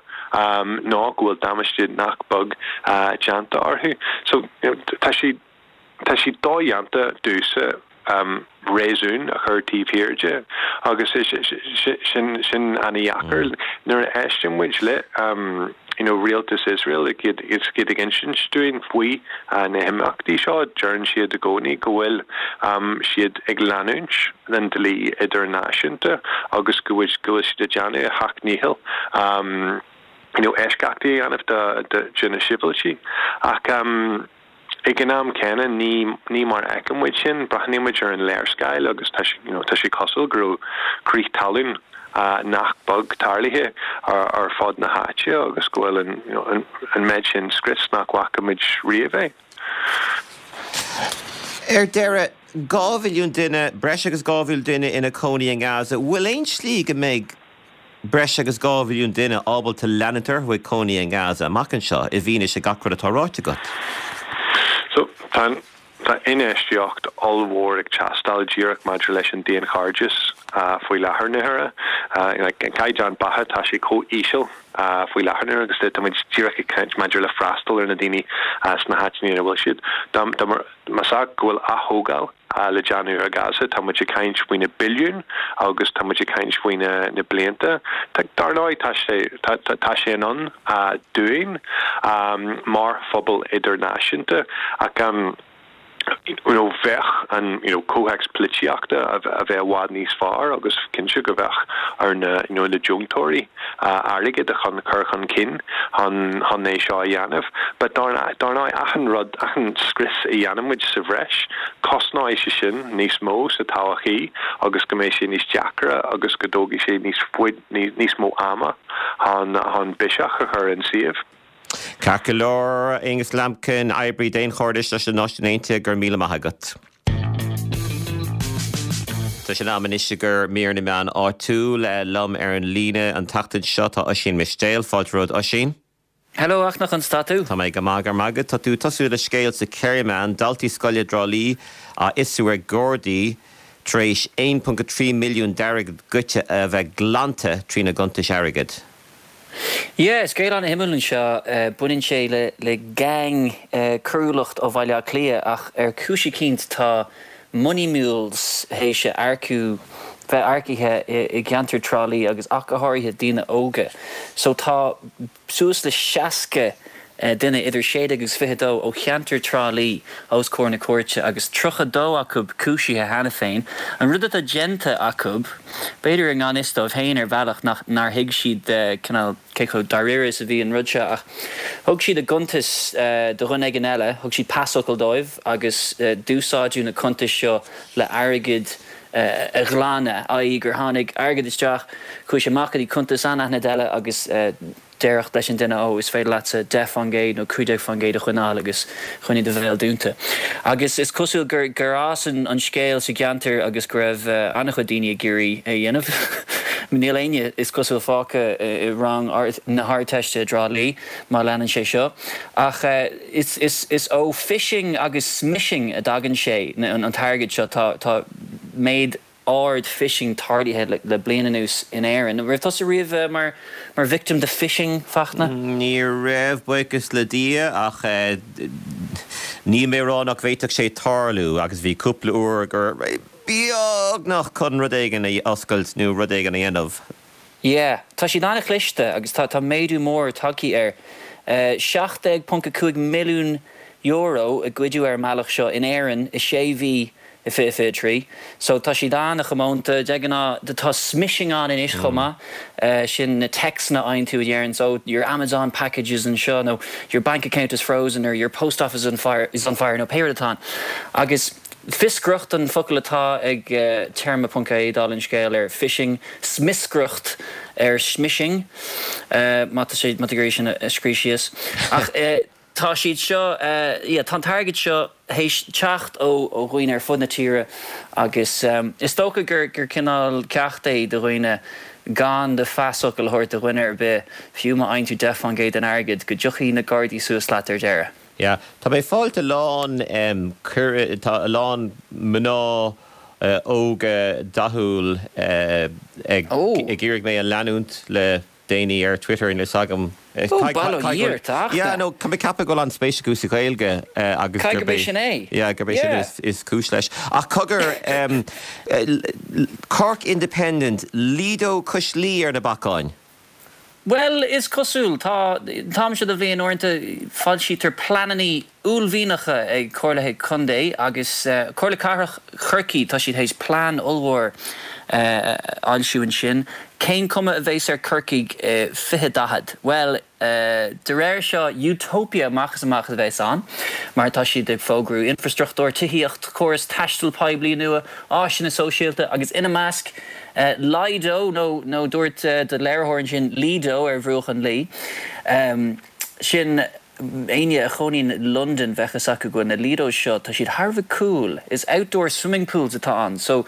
nó go bhfuil damáiste nach beag déanta orthu. So you know tá sé, tá sé dodhéanta domhsa réasún a chur taobh thiar de agus sin sin an-dheacair. Nuair a éisteann muid le you know rialtas Iosrael ag iad iad ag insint dúinn faoi na himeachtaí seo, deireann siad i gcónaí go bhfuil siad ag leanúint den dlí idirnáisiúnta agus go bhfuil go bhfuil siad ag déanamh a seacht ndícheall you know eisceachtaí a dhéanamh do de na sibhialtaigh. Ach. Ag an am céanna, ní ní mar a fheiceann muid sin. Breathnaíonn muid ar an léarscáil agus tá sé, you know, tá sé cosúil go raibh crith talún nach beag tarlaithe ar fud na háite agus go bhfuil an, you know, an an méid sin scrios nach bhfaca muid riamh é. Ar deireadh, 2 mhilliún duine, breis agus 2 mhilliún duine ina cónaí i nGaza. Bhfuil aon slí go mbeidh breis agus 2 mhilliún duine ábalta leanúint orthu ag cónaí i nGaza amach anseo, i bhfianaise gach rud atá ráite agat. So, tá, tá infheistíocht ollmhór ag teastáil díreach maidir leis an daonchairdeas faoi láthair na huaire. Like, an caighdeán beatha, tá sé chomh íseal faoi láthair na huaire agus tá muid díreach ag caint maidir le freastal ar na daoine sna háiteanna ina bhfuil siad. Dá, dá, más ea go bhfuil aththógáil le déanamh ar Gaza. Tá muid ag caint faoi na billiúin agus tá muid ag caint faoi na blianta. Dar ndóigh, tá sé, tá sé in ann dúinn mar phobal idirnáisiúnta ach you know bheadh an you know comhthéacs polaitíochta a bheith i bhfad níos fearr agus cinnte go bheadh ar na you know na deontóirí airgead a chun cur chun cinn chun chun é seo a dhéanamh. But dar dar ndóigh achan rud, achan scrios a dhéanann muid sa bhreis, cosnóidh sé sin níos mó sa todhchaí agus go mbeidh sé níos deacra agus go dtógfaidh sé níos faid níos mó ama chun chun biseach a chur ar an suíomh. Ceart go leor, Aonghus Lambkin, oibrí daonchairdis leis na Náisiúin Aontaithe, go raibh míle maith agat. Tá sé in am anois i gcomhair mír na meán áitiúil. Liom ar an líne an tseachtain seo tá Oisín Mistéil. Fáilte romhat Oisín. Hello a Fhachtna, conas tá tú? Tá mé go maith, go raibh maith agat. Tá tú ag tosú le scéal sa Kerryman, daltaí scoile i dTrá Lí á fhiosrú ag Gardaí tar éis 1.3 milliún d'airgead goidte a bheith glanta trína gcuntais airgid. Yeah, scéal an-shuimiúil anseo. Baineann sé le le gang coiriúlacht ó Bhaile Átha Cliath ach ar chúis eicínt tá money mules théis a earcú, bheith earcaithe i gceantar Trá Lí agus ach go háirithe daoine óga. So tá suas le 60 duine idir 16 agus 22 ó cheantar Trá Lí os comhair na cúirte agus 32 acu cúisithe cheana féin. An rud atá déanta acu, b'fhéidir i ngan fhios dóibh féin ar bhealach nach nár thuig siad cineál cé chomh dáiríre is a bhí an rud seo ach thug siad a gcuntais do dhuine éigin eile, thug siad pasfhocal dóibh agus d'úsáideadh na cuntais seo le airgead a ghlanadh, i.e. gur tháinig airgead isteach, chuaigh sé amach go dtí cuntas anaithnid eile agus déarfadh leis an duine, ó, is féidir leatsa 10% nó 15% a choinneáil agus coinnigh do bhéal dúnta. Agus is cosúil gur gur fhás an scéal sa gceantar agus go raibh an-chuid daoine ag iarraidh é a dhéanamh. Níl éinne, is cosúil, fágtha i rang na hArdteiste i dTrá Lí má leanann sé seo. Ach is is is ó phishing agus smishing a dtagann sé, an t-airgead seo. Tá tá méid ard phishing tarlaithe le bliain anuas in Éirinn. An raibh tusa riamh mar mar victim de phishing, Fachtna? Ní raibh, buíochas le Dia, ach níl mé ag rá nach bhféadfadh sé tarlú agus bhí cúpla uair go raibh beagnach chun rud éigin a oscailt nó rud éigin a dhéanamh. Yeah, tá siad an-chliste agus tá tá méadú mór tagtha air. €17.5 milliún a goideadh ar an mbealach seo in Éirinn i sé mhí i 2023. So tá siad an-chomónta. De ghnáth tá smishing ann anois chomh maith. Sin na téacsanna a fhaigheann tú a deireanns oh your Amazon package is anseo nó your bank account is frozen or your post office is on fire is on fire nó pé rud atá ann. Agus fioscaireacht an focal atá ag téarma ponc ie dála an scéil ar phishing, smioscaireacht ar smishing má tá sé má tá tú ag iarraidh sin a scríobh síos. Ach Tá siad seo, yeah, tá an t-airgead seo théis teacht ó dhaoine ar fud na tíre agus is dócha gur gur cineál ceacht é do dhaoine gan do phasfhocal a thabhairt do dhuine ar bith, fiú má fhaigheann tú 10% den airgead, go dtiocfaidh na Gardaí suas leat ar deireadh. Yeah, tá mé ag fáilt a lán, tá a lán mná óga dathúil ag iarraidh mé a leanúint le déanaí ar Twitter, níl a fhios agam. Ó, bail ó Dhia ort, a Fhachtna. Yeah, no, tá mé ag ceapadh go bhfuil an-spéis acu sa Ghaeilge agus gurb é sin é. Yeah, gurb é sin is cúis leis. Ach cogar, Cork Independent, Lido Cois Laoi ar na bacáin. Bhuel, is cosúil. Tá, an t-am seo de bhliain uaireanta foilsítear pleananna uaillmhianacha ag comhairlithe contae agus Comhairle Cathrach Chorcaí, tá siad théis plean ollmhór a fhoilsiú ansin. Cén cuma a bheas ar Corcaigh i 2040? Bhuel, de réir seo, utopia amach is amach a bheas ann, mar tá siad ag fógrú infrastruchtúr, tithíocht, córas taistil poiblí nua, áiseanna sóisialta agus ina measc, Lido, nó nó dúirt do léiritheoir ansin Lido ar bhruach an Laoi. Sin. Éinne a chónaíonn i Londain bheadh fhios acu go bhfuil na Lidos seo, tá siad thar a bheith cool. Is outdoor swimming pools atá ann. So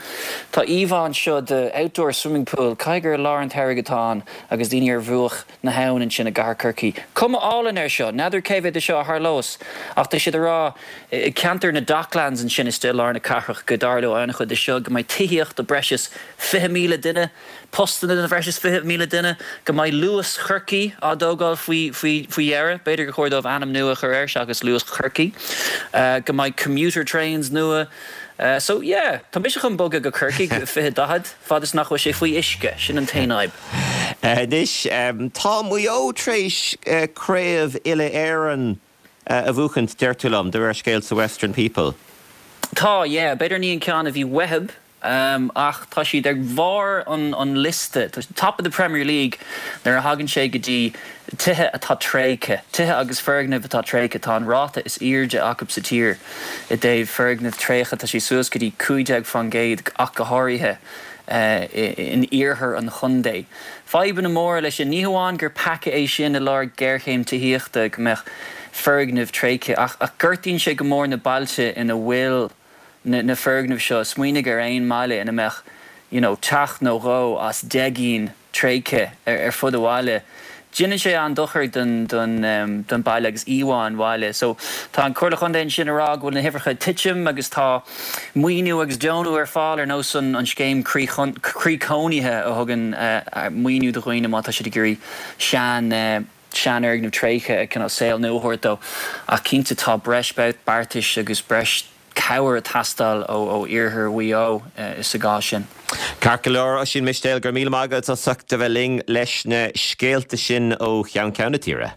tá íomhá anseo de outdoor swimming pool, caithfidh gur i lár an tsamhraidh atá ann agus daoine ar bhruach na habhann ansin i gcathair Chorcaí. Cuma álainn air seo, n'fheadar cé mhéad de seo a tharlós ach tá siad ag rá i gceantar na Docklands ansin istigh i lár na cathrach go dtarlóidh an-chuid de seo, go mbeidh tithíocht do breis is 20,000 duine. postanna do bhreis is 20,000 duine, go mbeidh Luas Chorcaí á dtógáil faoi faoi dheireadh, b'fhéidir gur chóir dóibh ainm nua a chur air seachas Luas Chorcaí, go mbeidh commuter trains nua. So yeah, tá mise chun bogadh go Corcaigh i 2040, fad is nach bhfuil sé faoi uisce, sin an t-aon fhadhb. Anois, tá Maigh Eo tar éis craobh uile-Éireann a bhuachaint, deir tú liom, de réir scéil sa Western People. Tá, yeah. B'fhéidir ní an ceann a bhí uathub, Ach tá siad ar bharr an liosta, top of the Premier League, nuair a thagann sé go dtí tithe atá tréigthe, tithe agus foirgnimh atá tréigthe. Tá an ráta is airde acu sa tír i dtaobh foirgnimh tréigthe, tá sé suas go dtí 15% ach go háirithe in iarthar an chontae. Fadhbanna móra leis sin, ní hamháin gur peaca é sin i lár géarchéim tithíochta go mbeadh foirgnimh tréigthe ach gortaíonn sé go mór na bailte ina bhfuil na foirgnimh seo, smaoinigh ar aon mbaile ina mbeadh you know teach nó dhó as 10 gcinn tréigthe ar fud an bhaile. Déanann sé an-dochar don don baile agus íomhá an bhaile. So tá an Comhairle Chontae ansin ag rá go bhfuil na huimhreacha ag titim agus tá maoiniú agus deonú ar fáil ar nós an an scéim Croí Croí Cónaithe a thugann maoiniú do dhaoine má tá siad ag iarraidh sean seanfhoirgneamh tréigthe cineál saol nua a thabhairt dó. Ach cinnte tá breis beartais agus breis cabhair ag teastáil ó iarthar Mhaigh Eo sa gcás sin. Ceart go leor, Oisín Mistéil, go raibh míle maith agat as ucht a bheith linn leis na scéalta sin ó cheann ceann na tíre.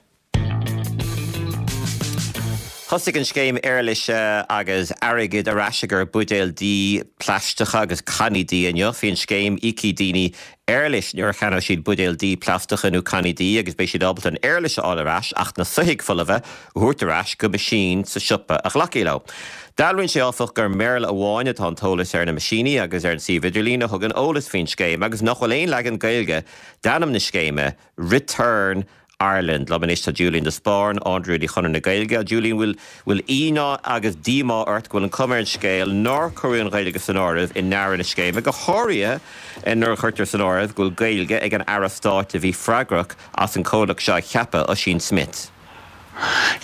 Thosaigh an scéim éarlaise agus airgid ar ais ar bhuidéil dí plaisteacha agus cannaí dí inniu. Faoin scéim, íocfaidh daoine éarlais nuair a cheannóidh siad buidéil dí plaisteacha nó cannaí dí agus beidh siad ábalta an éarlais a fháil ar ais ach na soithigh folmha a thabhairt ar ais go meaisín sa siopa a ghlacfaidh leo. Dealraíonn sé áfach gur i mBéarla amháin atá an t-eolas ar na meaisíní agus ar an suíomh idirlín a thugann eolas faoin scéim agus nach bhfuil aon leagan Gaeilge d'ainm na scéime, Return Ireland. Liom anois tá Julian de Spáinn, Ard-Rúnaí Chonradh na Gaeilge. Julian, bhfuil bhfuil ionadh agus díomá ort go bhfuil an cuma ar an scéal nár cuireadh an Ghaeilge san áireamh i ndearadh na scéime, go háirithe nuair a chuirtear san áireamh go bhfuil Gaeilge ag an Aire Stáit a bhí freagrach as an comhlacht seo a cheapadh, Ossian Smyth?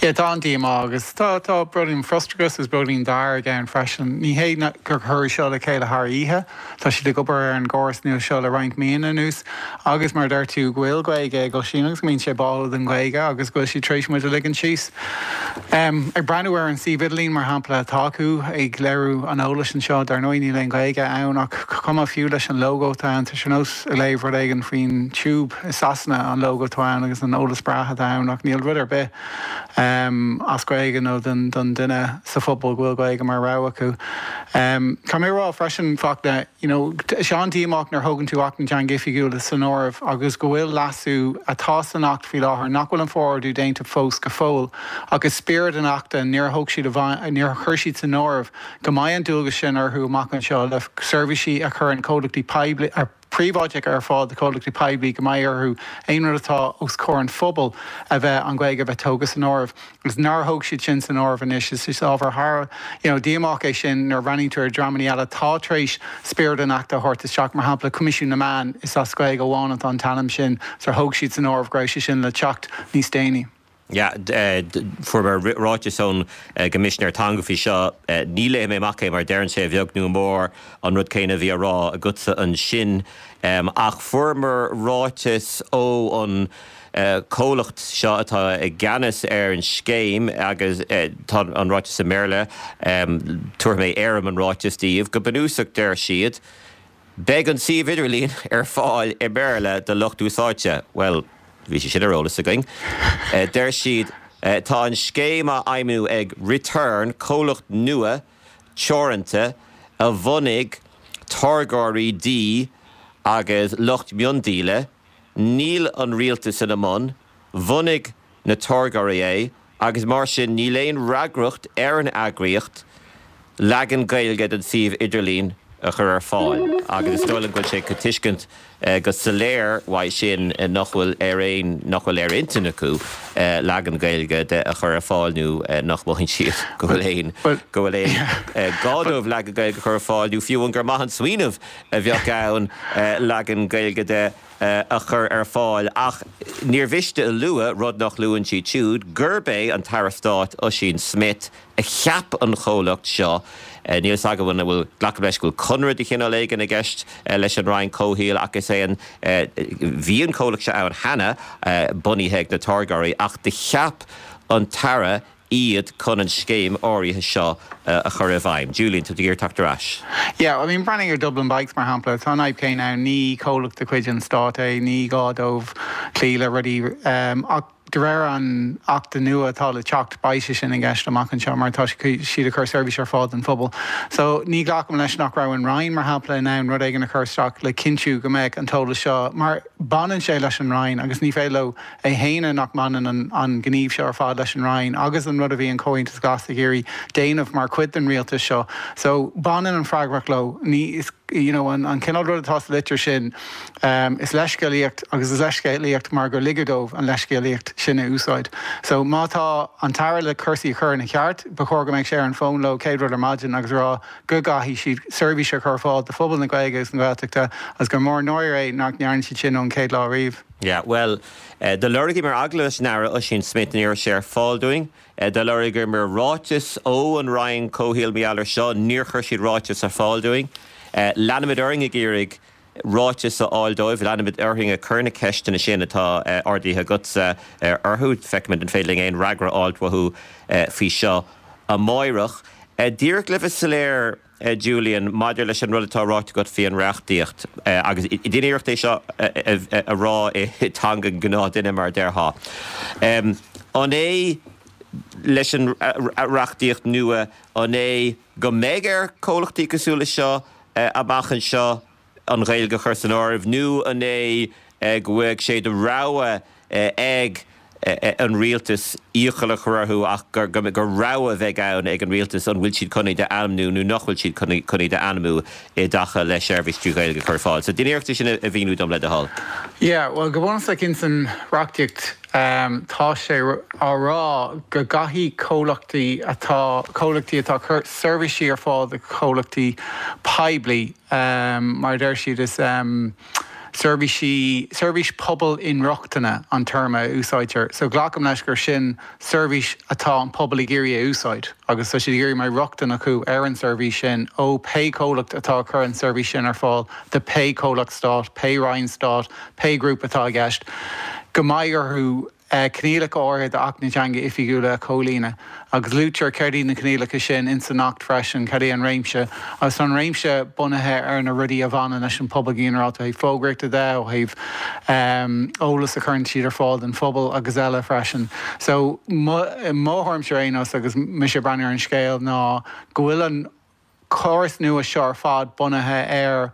Yeah, tá an-díomá agus tá tá beagáinín frustrachas agus beagáinín dearg ann freisin. Ní hé gur cuireadh seo le chéile thar oíche. Tá siad ag obair ar an gcóras nua seo le roinnt míonna anuas agus mar a deir tú go bhfuil Gaeilge ag Oisín agus go mbíonn sé báúil don Ghaeilge agus go bhfuil siad tar éis muid a ligean síos. Ag breathnú ar an suíomh idirlín mar shampla atá acu ag léiriú an eolais anseo, dar ndóigh níl aon Ghaeilge ann ach cuma fiú leis an logo atá ann, tá sé ar nós ag léamh rud éigin faoin Tube i Sasana an logo atá ann agus an eolas breá atá ann ach níl rud ar bith as Gaeilge nó don duine sa phobal go bhfuil Gaeilge mar rogha acu. Caithfidh mé a rá freisin, Fachtna, you know, tá sé an-díomách nuair a thógann tú Acht na dTeangacha Oifigiúla san áireamh agus go bhfuil leasú atá san Acht faoi láthair nach bhfuil an forordú déanta fós go fóill ach i spiorad an Achta níor thóg siad níor chuir siad san áireamh go mbeidh an dualgas sin orthu amach anseo le seirbhísí a chuireann comhlachtaí poiblí príobháideacha ar fáil do chomhlachtaí poiblí go mbeidh orthu aon rud atá os comhair an phobail a bheith an Ghaeilge a bheith tógtha san áireamh agus nár thóg siad sin san áireamh anois. Is ábhar thar you know díomách é sin nuair a bhreathnaíonn tú ar dreamanna eile atá tar éis spiorad an Achta a thabhairt isteach, mar shampla Coimisiún na Meán, is as Gaeilge amháin atá an t-ainm sin, sar thóg siad san áireamh go raibh sé sin le teacht níos déanaí. Yeah, fuair mé ráiteas ón gCoimisinéir Teanga faoi seo. Ní léifidh mé amach é mar deireann sé a bheag nó a mhór an rud céanna a bhí á rá agatsa ansin. Ach fuaireamar ráiteas ó an comhlacht seo atá i gceannas ar an scéim agus tá an ráiteas i mBéarla. Tabharfaidh mé éirim an ráitis daoibh. Go bunúsach deir siad, Beidh an suíomh idirlín ar fáil i mBéarla do lucht úsáidte. Bhuel, bhí sé sin ar eolas againn. Deir siad, Tá an scéim á fheidhmiú ag Return, comhlacht nua teoranta a bhunaigh táirgeoirí dí agus lucht miondíola. Níl an rialtas ina mbun. Bhunaigh na táirgeoirí é agus mar sin níl aon fhreagracht ar an eagraíocht leagan Gaeilge den suíomh idirlín a chur ar fáil agus is dóigh liom go bhfuil sé le tuiscint go soiléir uaidh sin nach bhfuil ar aon nach bhfuil ar intinn acu leagan Gaeilge de a chur ar fáil nó nach mothaíonn siad go bhfuil aon go bhfuil aon gá dóibh leagan Gaeilge a chur ar fáil nó fiú amháin gur maith an smaoineamh a bheadh ann leagan Gaeilge de a chur ar fáil ach níor mhiste a lua, rud nach luann siad siúd, gurb é an tAire Stáit Ossian Smyth a cheap an chomhlacht seo. Níl fhios agam an bhfuil, glacaim leis go bhfuil conradh de chineál éigin i gceist leis an Roinn Comhshaoil ach is é an, bhí an comhlacht seo ann cheana, bunaithe ag na táirgeoirí ach do cheap an tAire iad chun an scéim áirithe seo a chur i bhfeidhm. Julian, tá tú ag iarraidh teacht ar ais. Yeah, I mean, breathnaigh ar Dublin Bikes mar shampla, tá an fhadhb chéanna ann, ní comhlacht de chuid an stáit é, ní gá dóibh cloí le rudaí, ach de réir an Achta nua atá le teacht, beidh sé sin i gceist amach anseo mar tá siad ag cur seirbhís ar fáil don phobal. So, ní ghlacaim leis nach raibh an Roinn, mar shampla, in ann rud éigin a chur isteach le cinntiú go mbeadh an t-eolas seo, mar baineann sé leis an Roinn agus ní féidir leo a shéanadh nach mbaineann an gníomh seo ar fad leis an Roinn agus an rud a bhí an Comhaontas Glas ag iarraidh déanamh mar chuid den rialtas seo. So, baineann an freagracht leo. Ní. You know, an cineál rud atá sa litir sin, is leithscéalaíocht agus is leithscéalaíocht mar gur ligeadh dóibh an leithscéalaíocht sin a úsáid. So má tá an tAire le cúrsaí a chur ina cheart, ba chóir go mbeadh sé ar an bhfón leo céad rud ar maidin agus a rá go gcaithfidh siad seirbhís a chur ar fáil do phobal na Gaeilge agus na Gaeltachta agus gur mór an náire é nach ndearna siad sin ón chéad lá riamh. Yeah, bhuel, do lorgaíomar agallamh leis an Aire Ossian Smyth, ní raibh sé ar fáil dúinn. Do lorgaíomar ráiteas ó an Roinn Comhshaoil mar gheall air seo, níor chuir siad ráiteas ar fáil dúinn. Leanfaimid orainn ag iarraidh ráiteas a fháil dóibh, leanfaimid orainn ag cur na ceisteanna sin atá ardaithe agatsa orthu. Feicfimid an féidir linn aon fhreagra a fháilt uathu faoi seo amáireach. Díreach le bheith soiléir, Julian, maidir leis an rud atá ráite agat faoi an reachtaíocht, agus déan iarracht é seo a rá i dteanga an ghnáthduine, mar a déarfá. An é leis an reachtaíocht nua, an é go mbeidh ar chomhlachtaí cosúil leis seo amach anseo an Ghaeilge a chur san áireamh, nó an é go bhfuil sé de rogha ag an rialtas iachall a chur orthu ach gur rogha a bheidh ann ag an rialtas an bhfuil siad chun iad a ainmniú nó nach bhfuil siad chun iad a ainmniú i dtaca le seirbhís trí Ghaeilge a chur ar fáil. So déan iarracht é sin a mhíniú dom le do thoil. Yeah, bhuel go bunúsach ins an reachtaíocht tá sé á rá go gcaithfidh comhlachtaí atá, comhlachtaí atá ag cur seirbhísí ar fáil do chomhlachtaí poiblí, mar a deir siad is, Seirbhísí, seirbhís pobail inrochtana an téarma a úsáidtear. So glacaim leis gur sin seirbhís atá an pobal ag iarraidh a úsáid agus tá siad ag iarraidh go mbeidh rochtain acu ar an seirbhís sin ó pé comhlacht atá ag cur an seirbhís sin ar fáil do pé comhlacht stáit, pé roinn stáit, pé grúpa atá i gceist, go mbeidh orthu coinníollacha áirithe d'Acht na dTeangacha Oifigiúla a chomhlíonadh agus luaitear céard iad na coinníollacha sin ins an Acht freisin, cad é an réimse agus tá an réimse bunaithe ar na rudaí a bhaineann leis an pobal go ginearálta ó thaobh fógraíochta de, ó thaobh eolas a chuireann siad ar fáil don phobal agus eile freisin. So mo thuairimse ar aon nós agus mise ag breathnú ar an scéal ná go bhfuil an córas nua seo ar fad bunaithe ar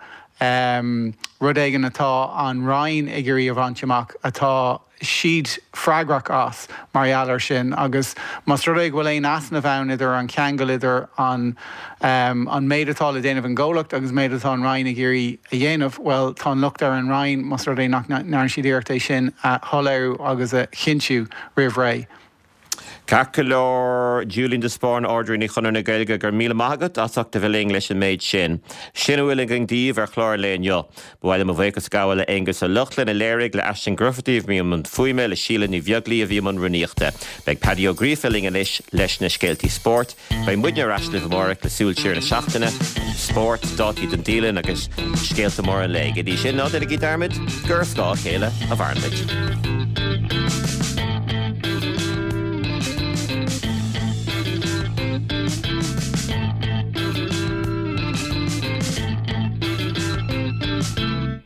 rud éigin atá an Roinn ag iarraidh a bhaint amach, atá siad freagrach as mar gheall air sin agus más rud é go bhfuil aon easnamh ann idir an ceangal idir an an méid atá le déanamh ag an gcomhlacht agus an méid atá an Roinn ag iarraidh a dhéanamh, bhuel tá an locht ar an Roinn más rud é nach ndearna siad iarracht é sin a shoiléiriú agus a chinntiú roimh ré. Ceart go leor, Julian de Spáinn, Ard-Rúnaí Chonradh na Gaeilge, go raibh míle maith agat as ucht a bheith linn leis an méid sin. Sin a bhfuil againn daoibh ar chlár an lae inniu. Ba mhaith liom mo bhuíochas a ghabháil le Aonghus Ó Lochlainn a léirigh, le Aisling Grufferty a bhí i mbun fuaime, le Síle Ní Bheaglaoí a bhí i mbun rúnaíochta. Beidh Paddy Ó Gríofa linn anois leis na scéaltaí spóirt. Beidh muidne ar ais libh amárach le súil siar ar an seachtain, spórt, dátaí don dialann agus scéalta móra an lae. Go dtí sin, ná déanaigí dearmad gur ar scáth a chéile a mhaireann muid.